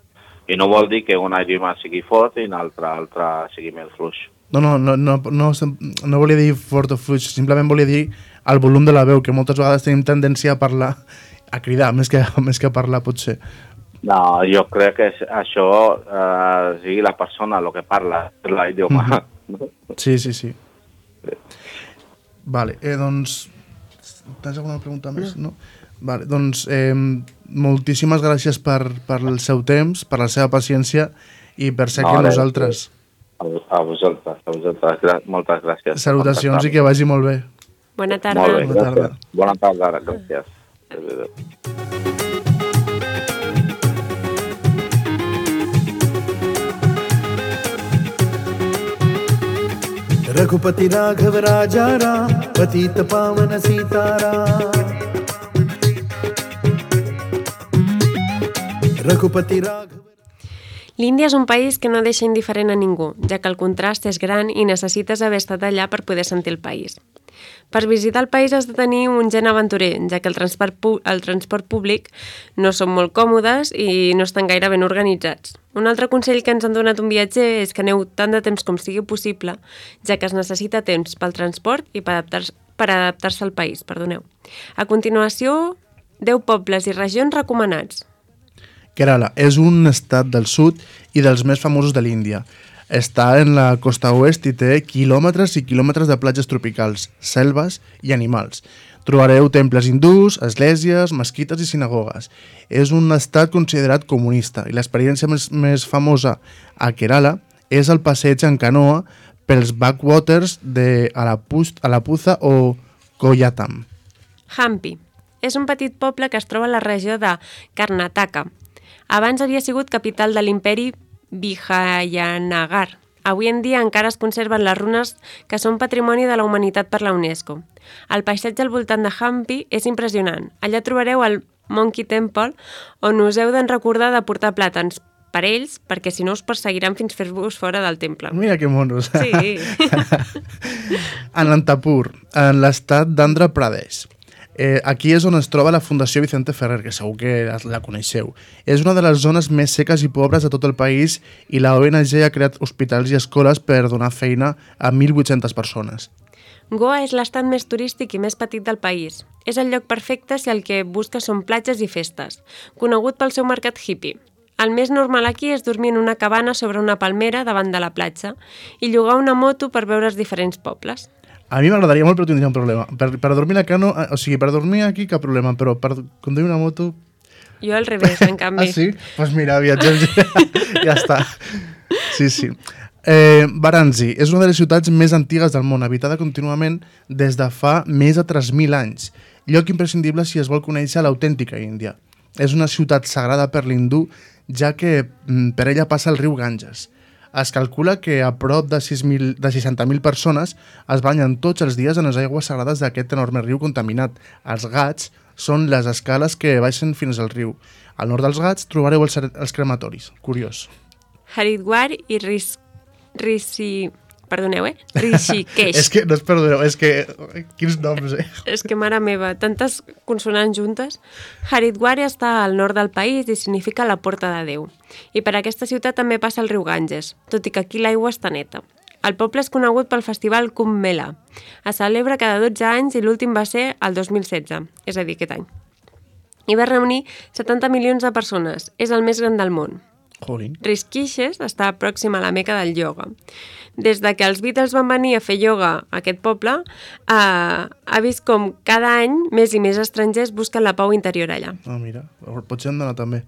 i no vol dir que un idioma sigui fort i un altre sigui més fluix. No volia dir fort o fluix, simplement volia dir el volum de la veu, que moltes vegades tenim tendència a parlar, a cridar, més que a parlar, potser. No, jo crec que això sigui la persona el que parla l'idioma. Sí. Vale, doncs... Tens alguna pregunta més? No? Vale, doncs moltíssimes gràcies per el seu temps, per la seva paciència i per ser aquí amb nosaltres. A vosaltres. Moltes gràcies. Salutacions i que vagi molt bé. Bona tarda. Molt bé, gràcies. Bona tarda, gràcies. Raghupati राघव राजा राम पतित पावन सीताराम। रघुपति Raghav. L'Índia és un país que no deixa indiferent a ningú, ja que el contrast és gran i necessites haver estat allà per poder sentir el país. Per visitar el país has de tenir un gen aventurer, ja que el transport públic no són molt còmodes i no estan gaire ben organitzats. Un altre consell que ens han donat un viatger és que aneu tant de temps com sigui possible, ja que es necessita temps pel transport i per adaptar-se al país. A continuació, 10 pobles i regions recomanats. Kerala és un estat del sud i dels més famosos de l'Índia. Està en la costa oest i té quilòmetres i quilòmetres de platges tropicals, selves i animals. Trobareu temples hindús, esglésies, mesquites i sinagogues. És un estat considerat comunista i l'experiència més famosa a Kerala és el passeig en canoa pels backwaters de Alappuzha o Koyatam. Hampi és un petit poble que es troba a la regió de Karnataka. Abans havia sigut capital de l'imperi Vijayanagar. Avui en dia encara es conserven les runes que són patrimoni de la humanitat per la UNESCO. El paisatge al voltant de Hampi és impressionant. Allà trobareu el Monkey Temple, on us heu de recordar de portar plàtans per ells, perquè si no us perseguiran fins fer-vos fora del temple. Mira que monos. Sí. Anantapur, en l'estat d'Andhra Pradesh. Aquí és on es troba la Fundació Vicente Ferrer, que segur que la coneixeu. És una de les zones més seques i pobres de tot el país i la ONG ha creat hospitals i escoles per donar feina a 1.800 persones. Goa és l'estat més turístic i més petit del país. És el lloc perfecte si el que busques són platges i festes, conegut pel seu mercat hippie. El més normal aquí és dormir en una cabana sobre una palmera davant de la platja i llogar una moto per veure els diferents pobles. A mi m'agradaria molt, però tindria un problema. Per dormir a cano, o sigui, per dormir aquí cap problema, però per conduir una moto... Jo al revés, en canvi. Ah, sí? Doncs pues mira, viatgem, ja està. Sí. Varanasi és una de les ciutats més antigues del món, habitada contínuament des de fa més de 3.000 anys. Lloc imprescindible si es vol conèixer l'autèntica Índia. És una ciutat sagrada per l'hindú, ja que per ella passa el riu Ganges. Es calcula que a prop de 60.000 persones es banyen tots els dies en les aigües sagrades d'aquest enorme riu contaminat. Els Ghats són les escales que baixen fins al riu. Al nord dels Ghats trobareu els crematoris. Curiós. Haridwar i Rishikesh. És que, no es perdoneu, és que... Quins noms, És que, mare meva, tantes consonants juntes. Haridwar està al nord del país i significa la porta de Déu. I per aquesta ciutat també passa el riu Ganges, tot i que aquí l'aigua està neta. El poble és conegut pel festival Kumbh Mela. Es celebra cada 12 anys i l'últim va ser el 2016, és a dir, aquest any. I va reunir 70 milions de persones. És el més gran del món. Rishikesh està pròxim a la meca del ioga. Des de que els Beatles van venir a fer ioga a aquest poble, ha vist com cada any més i més estrangers busquen la pau interior allà. Ah, mira, potser hem d'anar també.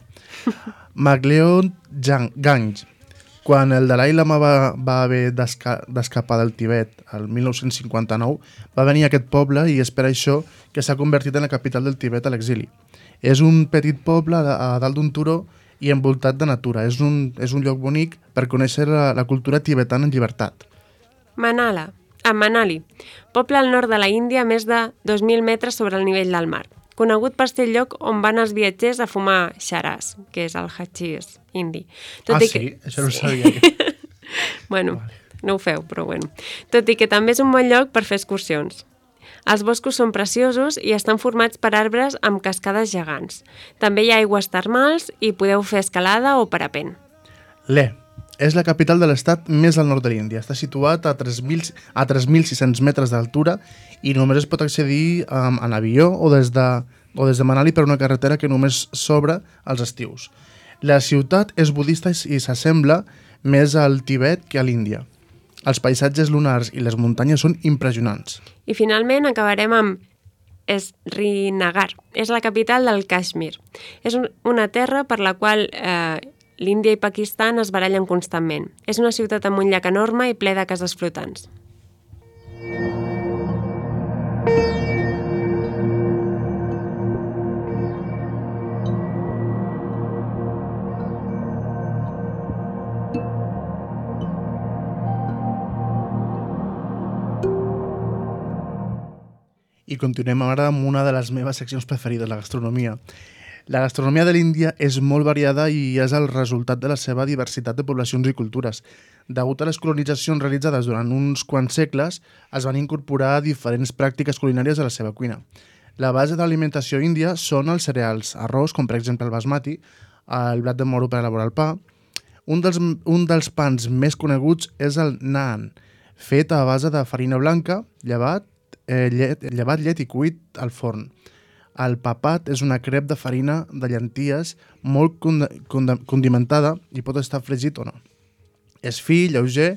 Magleon Ganj. Quan el Dalai Lama va haver d'escapar del Tibet el 1959, va venir a aquest poble i és per això que s'ha convertit en la capital del Tibet a l'exili. És un petit poble a dalt d'un turó i envoltat de natura. És un lloc bonic per conèixer la cultura tibetana en llibertat. Manali, poble al nord de la Índia a més de 2.000 metres sobre el nivell del mar. Conegut per ser el lloc on van els viatgers a fumar xaràs, que és el hachís indi. Sí? Això no ho sabia. Bueno, no ho feu, però bueno. Tot i que també és un bon lloc per fer excursions. Els boscos són preciosos i estan formats per arbres amb cascades gegants. També hi ha aigües termals i podeu fer escalada o parapent. Leh és la capital de l'estat més al nord de l'Índia. Està situat a 3.600 metres d'altura i només es pot accedir en avió o des de Manali per una carretera que només s'obre als estius. La ciutat és budista i s'assembla més al Tibet que a l'Índia. Els paisatges lunars i les muntanyes són impressionants. I finalment acabarem amb Srinagar. És la capital del Kashmir. És una terra per la qual l'Índia i Pakistan es barallen constantment. És una ciutat amb un llac enorme i ple de cases flotants. I continuem ara amb una de les meves seccions preferides, la gastronomia. La gastronomia de l'Índia és molt variada i és el resultat de la seva diversitat de poblacions i cultures. Degut a les colonitzacions realitzades durant uns quants segles, es van incorporar diferents pràctiques culinàries a la seva cuina. La base de l'alimentació índia són els cereals, arròs, com per exemple el basmati, el blat de moro per elaborar el pa. Un dels pans més coneguts és el naan, fet a base de farina blanca, llevat, llet i cuit al forn. El papat és una crep de farina de llenties molt condimentada i pot estar fregit o no. És fi, lleuger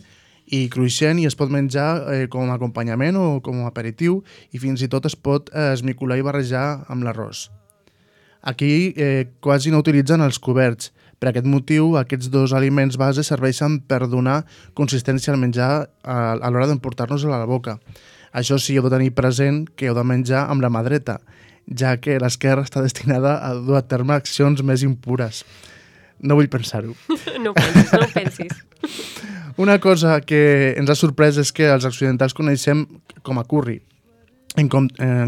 i cruixent i es pot menjar com a acompanyament o com a aperitiu i fins i tot es pot esmicolar i barrejar amb l'arròs. Aquí quasi no utilitzen els coberts. Per aquest motiu, aquests dos aliments base serveixen per donar consistència al menjar a l'hora d'emportar-nos a la boca. Això sí, heu de tenir present que heu de menjar amb la mà dreta, ja que l'esquerra està destinada a dur a terme accions més impures. No vull pensar-ho. No ho pensis. Una cosa que ens ha sorprès és que els occidentals coneixem com a curri, en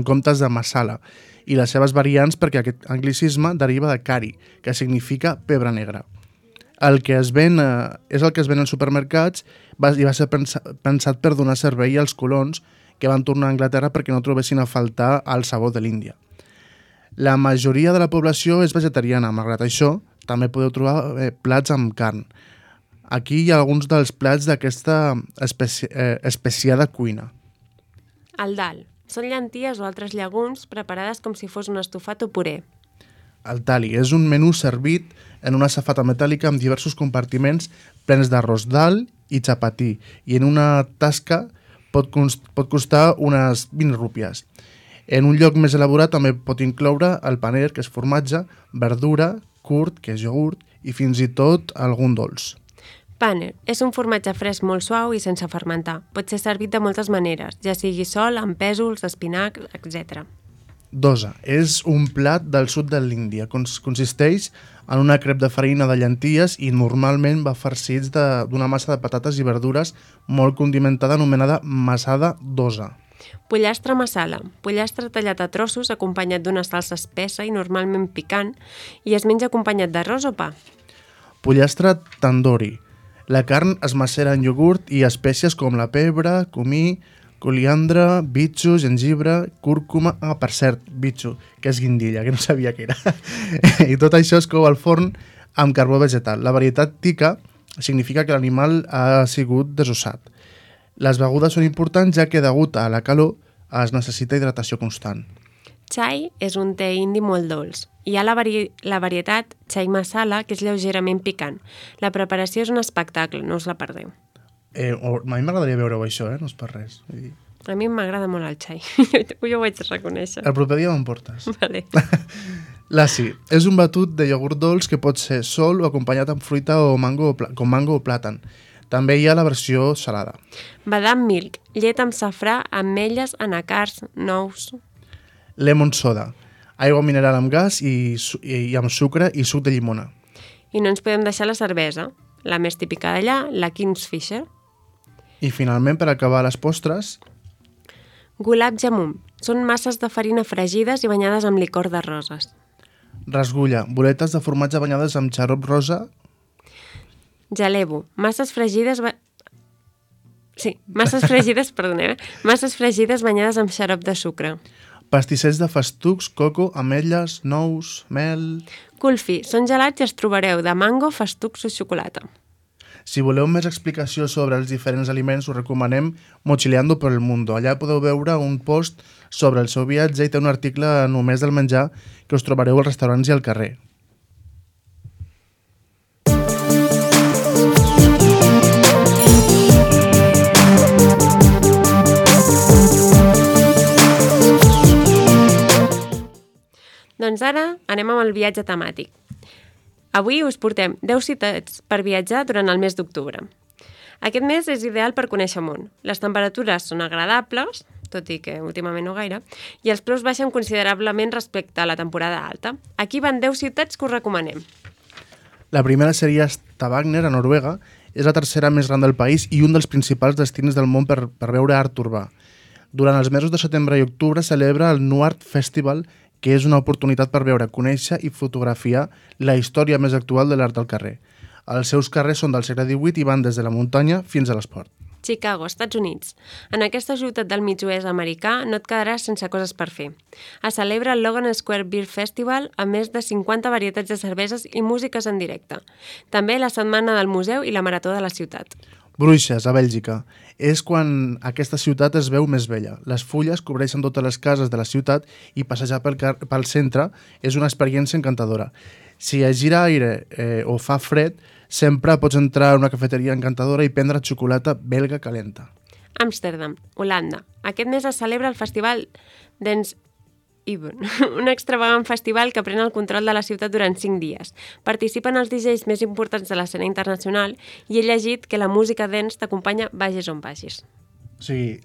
comptes de masala, i les seves variants perquè aquest anglicisme deriva de cari, que significa pebre negra. El que es ven és el que es ven als supermercats i va ser pensat per donar servei als colons que van tornar a Anglaterra perquè no trobessin a faltar el sabor de l'Índia. La majoria de la població és vegetariana, malgrat això, també podeu trobar plats amb carn. Aquí hi ha alguns dels plats d'aquesta especiada cuina. El dal. Són llenties o altres llegums preparades com si fos un estofat o puré. El thali és un menú servit en una safata metàl·lica amb diversos compartiments plens d'arròs dal i xapatí i en una tasca pot costar unes 20 rúpies. En un lloc més elaborat també pot incloure el paner, que és formatge, verdura, curt, que és iogurt, i fins i tot algun dolç. Paner és un formatge fresc molt suau i sense fermentar. Pot ser servit de moltes maneres, ja sigui sol, amb pèsols, espinac, etc. Dosa és un plat del sud de l'Índia. Consisteix en una crep de farina de llenties i normalment va farcits d'una massa de patates i verdures molt condimentada anomenada masada dosa. Pollastre masala. Pollastre tallat a trossos acompanyat d'una salsa espessa i normalment picant i es menja acompanyat d'arròs o pa. Pollastre tandoori. La carn es macera en iogurt i espècies com la pebre, comí, coriandre, bitxo, gengibre, cúrcuma... per cert, bitxo, que és guindilla, que no sabia què era. I tot això es cou al forn amb carbó vegetal. La varietat tikka significa que l'animal ha sigut desossat. Les begudes són importants ja que degut a la calor es necessita hidratació constant. Chai és un te indi molt dolç. Hi ha la varietat chai masala, que és lleugerament picant. La preparació és un espectacle, no us la perdeu. A mi m'agradaria veure-ho això, no és per res. A mi m'agrada molt el chai, jo ho haig de reconèixer. El proper dia me'n portes. Vale. Lassi és un batut de iogurt dolç que pot ser sol o acompanyat amb fruita o mango o plàtan. També hi ha la versió salada. Badam milk, llet amb safrà, ametlles, anacards, nous. Lemon soda, aigua mineral amb gas i amb sucre i suc de llimona. I no ens podem deixar la cervesa, la més típica d'allà, la Kingfisher. I finalment, per acabar les postres... Gulab jamun, són masses de farina fregides i banyades amb licor de roses. Rasgulla, boletes de formatge banyades amb xarop rosa... Jalebu, masses fregides banyades amb xarop de sucre. Pastissets de festucs, coco, ametlles, nous, mel... Kulfi, són gelats i els trobareu de mango, festucs o xocolata. Si voleu més explicació sobre els diferents aliments, us recomanem Mochileando por el Mundo. Allà podeu veure un post sobre el seu viatge i té un article només del menjar que us trobareu als restaurants i al carrer. Doncs ara anem amb el viatge temàtic. Avui us portem 10 ciutats per viatjar durant el mes d'octubre. Aquest mes és ideal per conèixer món. Les temperatures són agradables, tot i que últimament no gaire, i els preus baixen considerablement respecte a la temporada alta. Aquí van 10 ciutats que us recomanem. La primera seria Stavanger, a Noruega. És la tercera més gran del país i un dels principals destins del món per veure art urbà. Durant els mesos de setembre i octubre celebra el Nuart Festival, que és una oportunitat per veure, conèixer i fotografiar la història més actual de l'art del carrer. Els seus carrers són del segle XVIII i van des de la muntanya fins a l'esport. Chicago, Estats Units. En aquesta ciutat del mig-oest americà no et quedaràs sense coses per fer. Es celebra el Logan Square Beer Festival amb més de 50 varietats de cerveses i músiques en directe. També la setmana del museu i la marató de la ciutat. Bruixes, a Bèlgica. És quan aquesta ciutat es veu més vella. Les fulles cobreixen totes les cases de la ciutat i passejar pel centre és una experiència encantadora. Si es gira aire o fa fred, sempre pots entrar a una cafeteria encantadora i prendre xocolata belga calenta. Amsterdam, Holanda. Aquest mes es celebra el festival Dance Even, un extravagant festival que pren el control de la ciutat durant 5 dies. Participen els DJs més importants de l'escena internacional i he llegit que la música dance t'acompanya vagis on vagis. O sigui,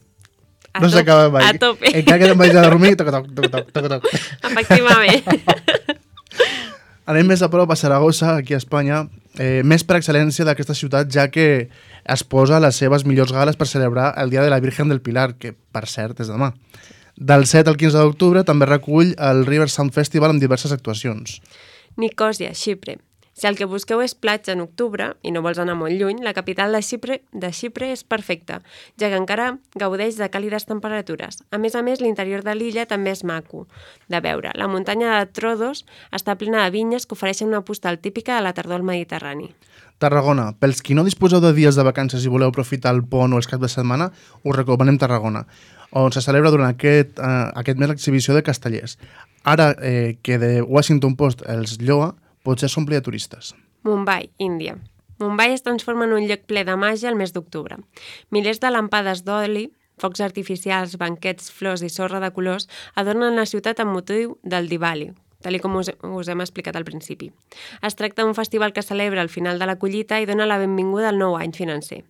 no s'acaba mai. A tope. Encara que te'n vagis a dormir, toc. Efectivament. Anem més a prop a Saragossa, aquí a Espanya, més per excel·lència d'aquesta ciutat, ja que es posa les seves millors gales per celebrar el Dia de la Virgen del Pilar, que, per cert, és demà. Del 7 al 15 d'octubre també recull el River Sound Festival amb diverses actuacions. Nicòsia, Xipre. Si el que busqueu és platja en octubre i no vols anar molt lluny, la capital de Xipre és perfecta, ja que encara gaudeix de càlides temperatures. A més, l'interior de l'illa també és maco de veure. La muntanya de Trodos està plena de vinyes que ofereixen una postal típica de la tardor al Mediterrani. Tarragona. Pels qui no disposeu de dies de vacances i voleu aprofitar el pont o els caps de setmana, us recomanem Tarragona, on se celebra durant aquest mes l'exhibició de castellers. Ara que de Washington Post els lloa, potser s'ompli de turistes. Mumbai, Índia. Mumbai es transforma en un lloc ple de màgia el mes d'octubre. Milers de lampades d'oli, focs artificials, banquets, flors i sorra de colors adornen la ciutat amb motiu del Diwali, tal com us hem explicat al principi. Es tracta d'un festival que celebra el final de la collita i dona la benvinguda al nou any financer.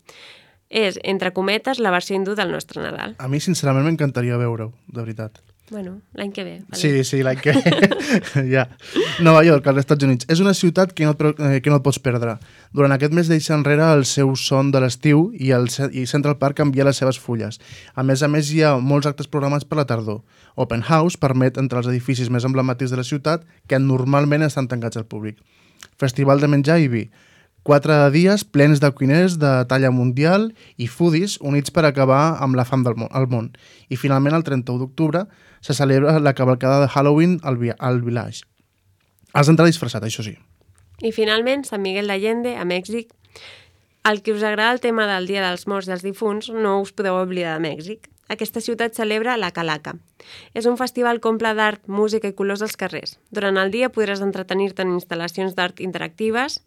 És, entre cometes, la versió hindú del nostre Nadal. A mi, sincerament, m'encantaria veure-ho, de veritat. Bueno, l'any que ve. Vale. Sí, l'any que ve. Ja. Nova York, als Estats Units. És una ciutat que no et pots perdre. Durant aquest mes deixa enrere el seu son de l'estiu i Central Park canvia les seves fulles. A més, hi ha molts actes programats per la tardor. Open House permet entre els edificis més emblemàtics de la ciutat que normalment estan tancats al públic. Festival de menjar i vi. 4 dies plens de cuiners de talla mundial i foodies units per acabar amb la fam del món. I finalment, el 31 d'octubre, se celebra la cavalcada de Halloween al Village. Has d'entrar disfressat, això sí. I finalment, Sant Miguel d'Allende, a Mèxic. Al que us agrada el tema del Dia dels Morts i els Difunts, no us podeu oblidar de Mèxic. Aquesta ciutat celebra la Calaca. És un festival que omple d'art, música i colors als carrers. Durant el dia podràs entretenir-te en instal·lacions d'art interactives,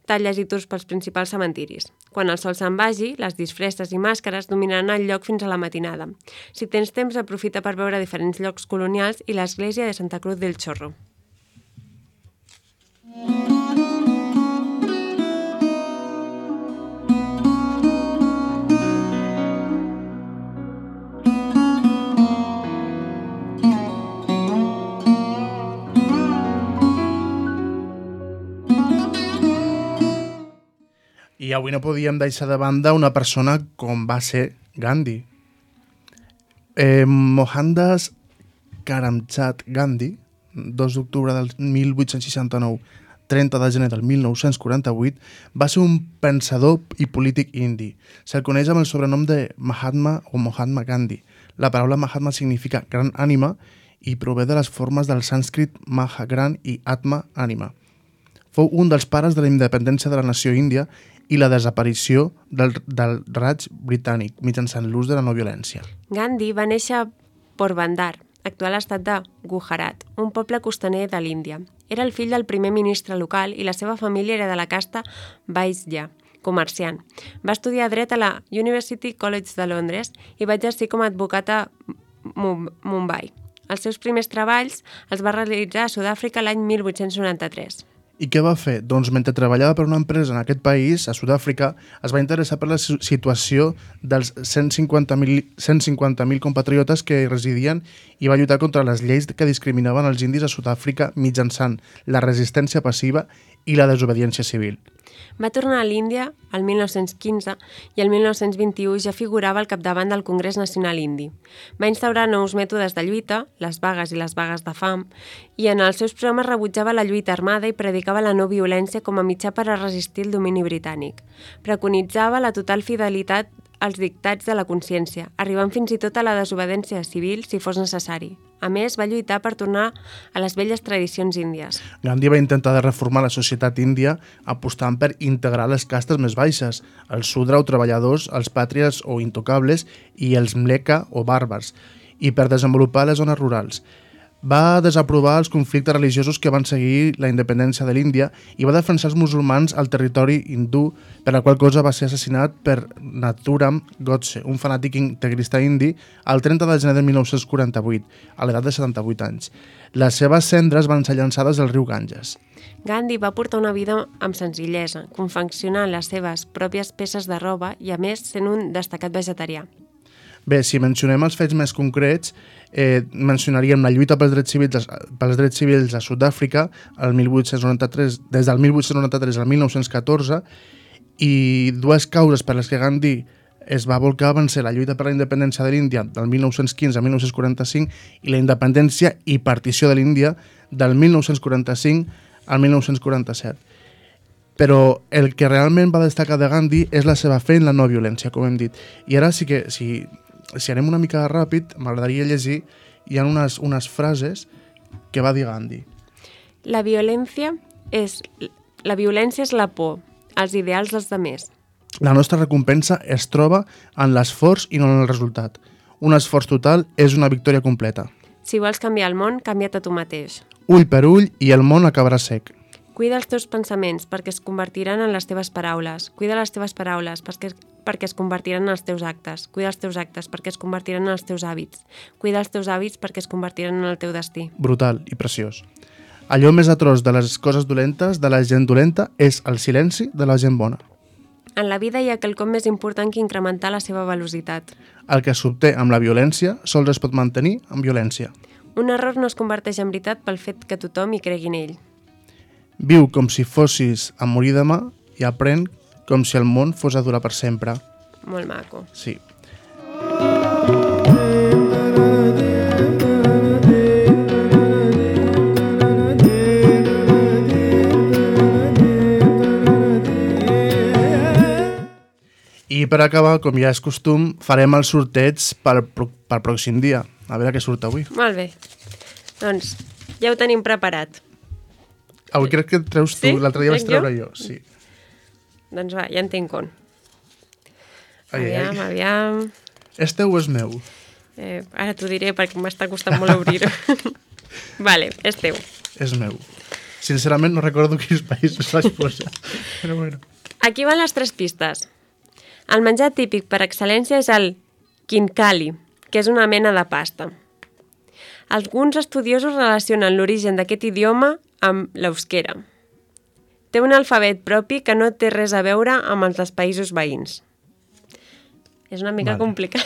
talles i tours pels principals cementiris. Quan el sol se'n vagi, les disfresses i màscares dominaran el lloc fins a la matinada. Si tens temps, aprofita per veure diferents llocs colonials i l'església de Santa Cruz del Chorro. I avui no podíem deixar de banda una persona com va ser Gandhi. Mohandas Karamchand Gandhi, 2 d'octubre del 1869, 30 de gener del 1948, va ser un pensador i polític indi. Se'l coneix amb el sobrenom de Mahatma o Mahatma Gandhi. La paraula Mahatma significa gran ànima i prové de les formes del sànscrit Maha, gran, i Atma, ànima. Fou un dels pares de la independència de la nació índia i la desaparició del Raj britànic mitjançant l'ús de la no violència. Gandhi va néixer a Porbandar, actual estat de Gujarat, un poble costaner de l'Índia. Era el fill del primer ministre local i la seva família era de la casta Vaisya, comerciant. Va estudiar dret a la University College de Londres i va exercir com a advocat a Mumbai. Els seus primers treballs els va realitzar a Sud-àfrica l'any 1893. I què va fer? Doncs mentre treballava per una empresa en aquest país, a Sud-àfrica, es va interessar per la situació dels 150.000 compatriotes que hi residien i va lluitar contra les lleis que discriminaven els indis a Sud-àfrica mitjançant la resistència passiva i la desobediència civil. Va tornar a l'Índia el 1915 i el 1921 ja figurava al capdavant del Congrés Nacional Indi. Va instaurar nous mètodes de lluita, les vagues i les vagues de fam, i en els seus programes rebutjava la lluita armada i predicava la no violència com a mitjà per a resistir el domini britànic. Preconitzava la total fidelitat als dictats de la consciència, arribant fins i tot a la desobediència civil si fos necessari. A més, va lluitar per tornar a les velles tradicions índies. Gandhi va intentar de reformar la societat índia apostant per integrar les castes més baixes, els sudra o treballadors, els pàtries o intocables i els mleka o bàrbars, i per desenvolupar les zones rurals. Va desaprovar els conflictes religiosos que van seguir la independència de l'Índia i va defensar els musulmans al territori hindú, per la qual cosa va ser assassinat per Nathuram Godse, un fanàtic integrista indi, el 30 de gener de 1948, a l'edat de 78 anys. Les seves cendres van ser llançades al riu Ganges. Gandhi va portar una vida amb senzillesa, confeccionant les seves pròpies peces de roba i, a més, sent un destacat vegetarià. Bé, si mencionem els fets més concrets, mencionaríem la lluita pels drets civils a Sud-àfrica des del 1893 al 1914, i dues causes per les que Gandhi es va volcar van ser la lluita per la independència de l'Índia del 1915 al 1945 i la independència i partició de l'Índia del 1945 al 1947. Però el que realment va destacar de Gandhi és la seva fe en la no violència, com hem dit. I ara sí que, si anem una mica ràpid, m'agradaria llegir, hi ha unes frases que va dir Gandhi. La violència és la por, als ideals dels demés. La nostra recompensa es troba en l'esforç i no en el resultat. Un esforç total és una victòria completa. Si vols canviar el món, canvia't a tu mateix. Ull per ull i el món acabarà sec. Cuida els teus pensaments perquè es convertiran en les teves paraules. Cuida les teves paraules perquè es convertiran en els teus actes. Cuida els teus actes perquè es convertiran en els teus hàbits. Cuida els teus hàbits perquè es convertiran en el teu destí. Brutal i preciós. Allò més atroç de les coses dolentes, de la gent dolenta, és el silenci de la gent bona. En la vida hi ha quelcom més important que incrementar la seva velocitat. El que s'obté amb la violència sols es pot mantenir amb violència. Un error no es converteix en veritat pel fet que tothom hi cregui en ell. Viu com si fossis a morir demà i aprèn com si el món fos a durar per sempre. Molt maco. Sí. I per acabar, com ja és costum, farem el sorteig per pròxim dia. A veure què surt avui. Molt bé. Doncs ja ho tenim preparat. Avui crec que et treus tu, sí? L'altre dia vaig treure jo. Sí. Doncs va, ja en tinc un. Aviam. Aviam. És teu o és meu? Ara t'ho diré perquè m'està costant molt obrir-ho. Vale, és teu. És meu. Sincerament no recordo quins països vaig posar. Però bueno. Aquí van les 3 pistes. El menjar típic per excel·lència és el khinkali, que és una mena de pasta. Alguns estudiosos relacionen l'origen d'aquest idioma amb l'euskera. Té un alfabet propi que no té res a veure amb els dels països veïns. És una mica complicat.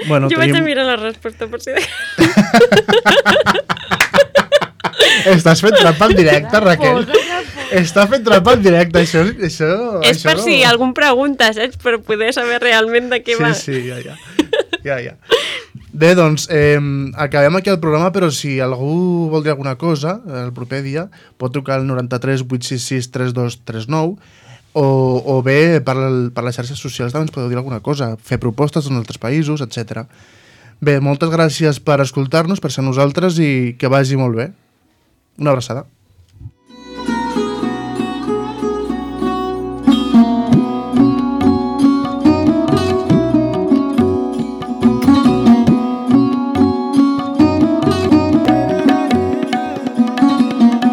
Bueno, jo vaig a mirar la resposta per si... Estàs fent trampa en directe, Raquel. Estàs fent trampa en directe. Això és per si algú em pregunta, saps? Per poder saber realment de què va. Sí, ja. Bé, doncs, acabem aquí el programa, però si algú vol dir alguna cosa el proper dia, pot trucar al 93 866 3239 o bé per les xarxes socials també ens podeu dir alguna cosa, fer propostes en altres països, etc. Bé, moltes gràcies per escoltar-nos, per ser nosaltres i que vagi molt bé. Una abraçada.